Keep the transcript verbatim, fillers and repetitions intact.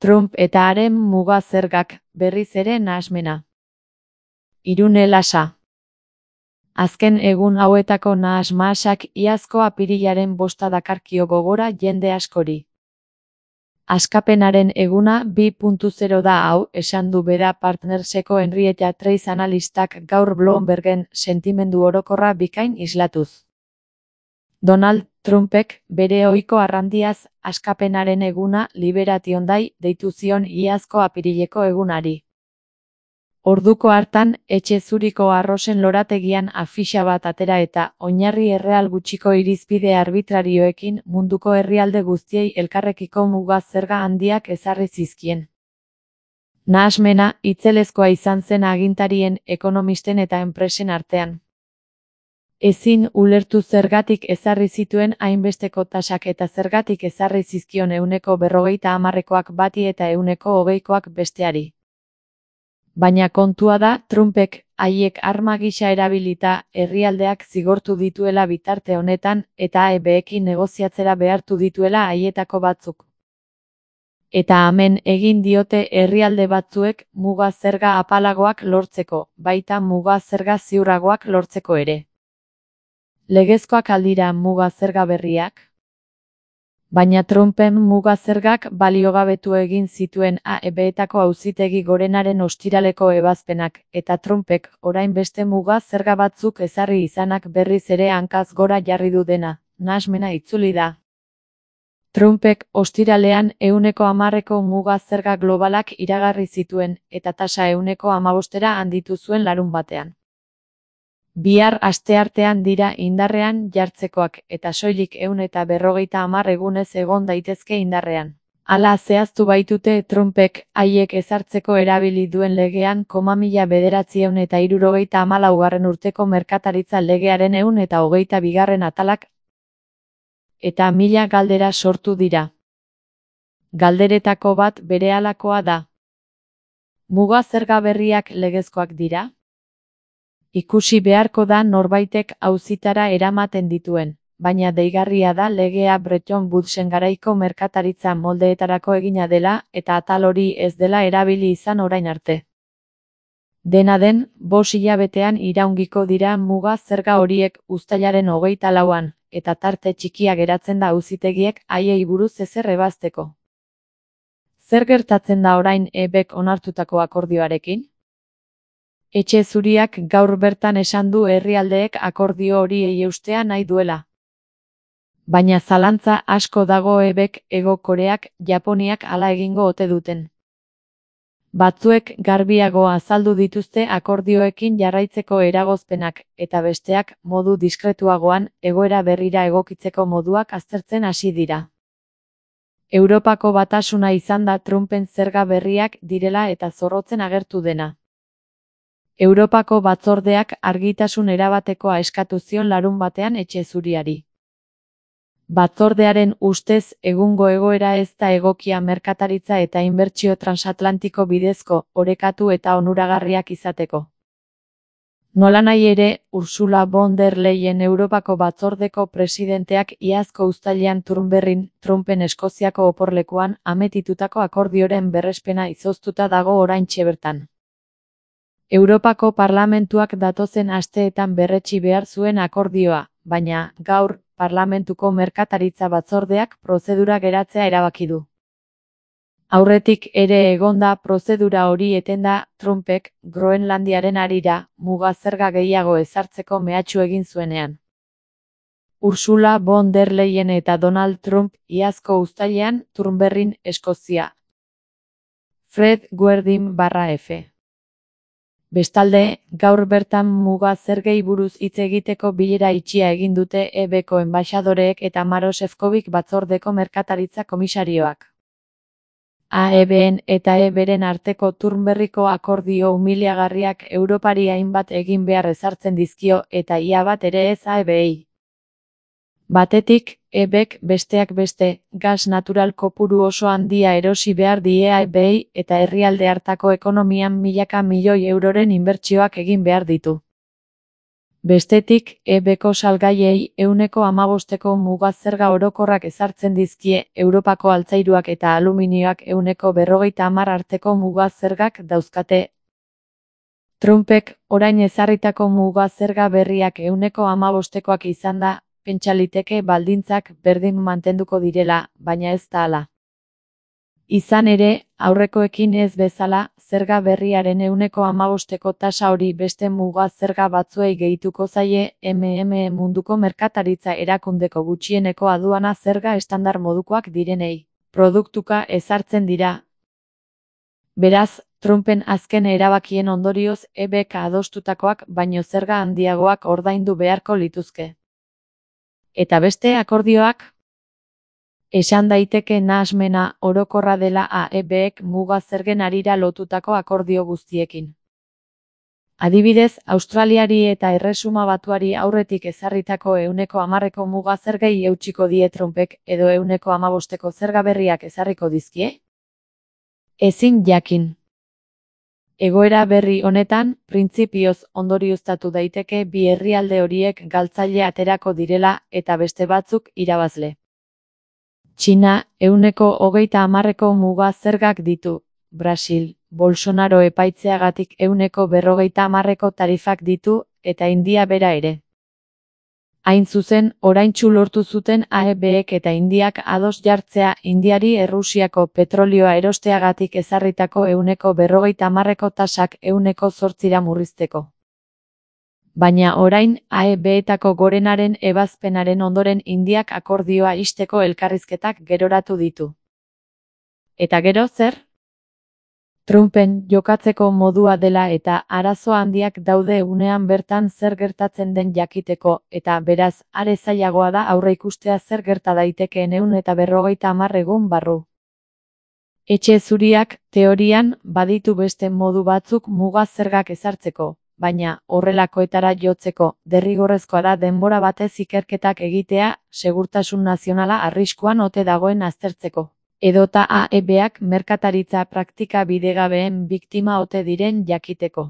Trump eta haren muga zergak, berriz ere nahasmena. Irune Lasa. Azken egun hauetako nahas-mahasak iazko apirilaren bosta dakarkio gogora jende askori. Askapenaren eguna bi puntu zero da hau, esan du bera Partnerseko Henrietta Trace analistak gaur Bloombergen sentimendu orokorra bikain islatuz. Donald Trumpek bere ohiko arrandiaz askapenaren eguna Liberation Day deitu zion iazko apirileko egunari. Orduko hartan, etxe zuriko arrosen lorategian afixa bat atera eta oinarri erreal gutxiko irizpide arbitrarioekin munduko herrialde guztiei elkarrekiko muga zerga handiak ezarri zizkien. Nahasmena itzelezkoa izan zen agintarien, ekonomisten eta enpresen artean. Ezin ulertu zergatik ezarri zituen hainbesteko tasak eta zergatik ezarri zizkion ehuneko berrogeita hamarrekoak bati eta ehuneko hogeikoak besteari. Baina kontua da Trumpek haiek arma gisa erabilita herrialdeak zigortu dituela bitarte honetan eta A E Bekin negoziatzera behartu dituela haietako batzuk. Eta hemen egin diote herrialde batzuek muga zerga apalagoak lortzeko, baita muga zerga ziurragoak lortzeko ere. Legezkoak aldira muga zerga berriak? Baina Trumpen muga zergak baliogabetu egin zituen A E Betako auzitegi gorenaren ostiraleko ebazpenak, eta Trumpek orain beste muga zerga batzuk ezarri izanak berriz ere hankaz gora jarri du dena, nahasmena itzuli da. Trumpek ostiralean ehuneko hamarreko muga zerga globalak iragarri zituen, eta tasa ehuneko hamabostera handitu zuen larunbatean. Bihar asteartean dira indarrean jartzekoak eta soilik ehun eta berrogeita hamar egunez egon daitezke indarrean. Hala zehaztu baitute Trumpek haiek ezartzeko erabili duen legean koma mila bederatziehun eta hirurogeita hamalaugarren urteko merkataritza legearen ehun eta hogeita bigarren atalak eta mila galdera sortu dira. Galderetako bat berehalakoa da. Muga zerga berriak legezkoak dira? Ikusi beharko da norbaitek auzitara eramaten dituen, baina deigarria da legea Bretton Woodsen garaiko merkataritza moldeetarako egina dela eta atal hori ez dela erabili izan orain arte. Dena den, bost hilabetean iraungiko dira muga zerga horiek uztailaren hogeita lauan, eta tarte txikia geratzen da auzitegiek haiei buruz ezer ebazteko. Zer gertatzen da orain E Bek onartutako akordioarekin? Etxe zuriak gaur bertan esan du herrialdeek akordio hori eustea nahi duela. Baina zalantza asko dago E Bek, Hego Koreak, Japoniak hala egingo ote duten. Batzuek garbiago azaldu dituzte akordioekin jarraitzeko eragozpenak, eta besteak modu diskretuagoan egoera berrira egokitzeko moduak aztertzen hasi dira. Europako batasuna izan da Trumpen zerga berriak direla eta zorrotzen agertu dena. Europako batzordeak argitasun erabatekoa eskatu zion larun batean etxe zuriari. Batzordearen ustez egungo egoera ez da egokia merkataritza eta inbertsio transatlantiko bidezko, orekatu eta onuragarriak izateko. Nolanahi ere, Ursula von der Leyen Europako batzordeko presidenteak iazko uztailean Turnberrin, Trumpen Eskoziako oporlekuan ametitutako akordioren berrespena izoztuta dago oraintxe bertan. Europako Parlamentuak datozen asteetan berretsi behar zuen akordioa, baina, gaur, Parlamentuko merkataritza batzordeak prozedura geratzea erabaki du. Aurretik ere egonda prozedura hori etenda, Trumpek, Groenlandiaren harira, muga zerga gehiago ezartzeko mehatxu egin zuenean. Ursula von der Leyen eta Donald Trump iazko uztailean Turnberrin, Eskozia. Fred Guerdin barra F. Bestalde, gaur bertan muga zergei buruz hitz egiteko bilera itxia egin dute E Beko enbaxadoreek eta Maroš Šefčovič batzordeko merkataritza komisarioak. A E Ben eta E Beren arteko Turnberriko akordio umiliagarriak Europari hainbat egin behar ezartzen dizkio eta ia bat ere ez A E Bei. Batetik, E Bek besteak beste, gas natural kopuru oso handia erosi behar die A E Bei eta herrialde hartako ekonomian milaka milioi euroren inbertsioak egin behar ditu. Bestetik, E Bko salgaiei ehuneko hamabosteko muga zerga orokorrak ezartzen dizkie, Europako altzairuak eta aluminioak ehuneko berrogeita hamar arteko muga zergak dauzkate. Trumpek orain ezarritako muga zerga berriak ehuneko hamabostekoak izanda, pentsa liteke baldintzak berdin mantenduko direla, baina ez da hala. Izan ere, aurrekoekin ez bezala, zerga berriaren ehuneko hamabosteko tasa hori beste muga zerga batzuei gehituko zaie M M E munduko merkataritza erakundeko gutxieneko aduana zerga estandar modukoak direnei, produktuka ezartzen dira. Beraz, Trumpen azken erabakien ondorioz E Bk adostutakoak baino zerga handiagoak ordaindu beharko lituzke. Eta beste akordioak? Esan daiteke nahasmena orokorra dela A E Bek muga zergen harira lotutako akordio guztiekin. Adibidez, Australiari eta Erresuma Batuari aurretik ezarritako ehuneko hamarreko muga zergei eutsiko die Trumpek edo ehuneko hamabosteko zerga berriak ezarriko dizkie? Ezin jakin. Egoera berri honetan, printzipioz ondorioztatu daiteke bi herrialde horiek galtzaile aterako direla eta beste batzuk irabazle. Txina, ehuneko hogeita hamarreko muga zergak ditu. Brasil, Bolsonaro epaitzeagatik ehuneko berrogeita hamarreko tarifak ditu, eta India bera ere. Hain zuzen, oraintsu lortu zuten A E Bek eta Indiak ados jartzea Indiari Errusiako petrolioa erosteagatik ezarritako ehuneko berrogeita hamarreko tasak ehuneko zortzira murrizteko. Baina orain, A E Betako gorenaren ebazpenaren ondoren Indiak akordioa ixteko elkarrizketak geroratu ditu. Eta gero zer? Trumpen jokatzeko modua dela eta arazo handiak daude unean bertan zer gertatzen den jakiteko, eta beraz, are zailagoa da aurreikustea zer gerta daitekeen ehun eta berrogeita hamar egun barru. Etxe zuriak, teorian, baditu beste modu batzuk muga zergak ezartzeko, baina, horrelakoetara jotzeko, derrigorrezkoa da denbora batez ikerketak egitea, segurtasun nazionala arriskuan ote dagoen aztertzeko. Edota A E Bak merkataritza praktika bidegabeen biktima ote diren jakiteko.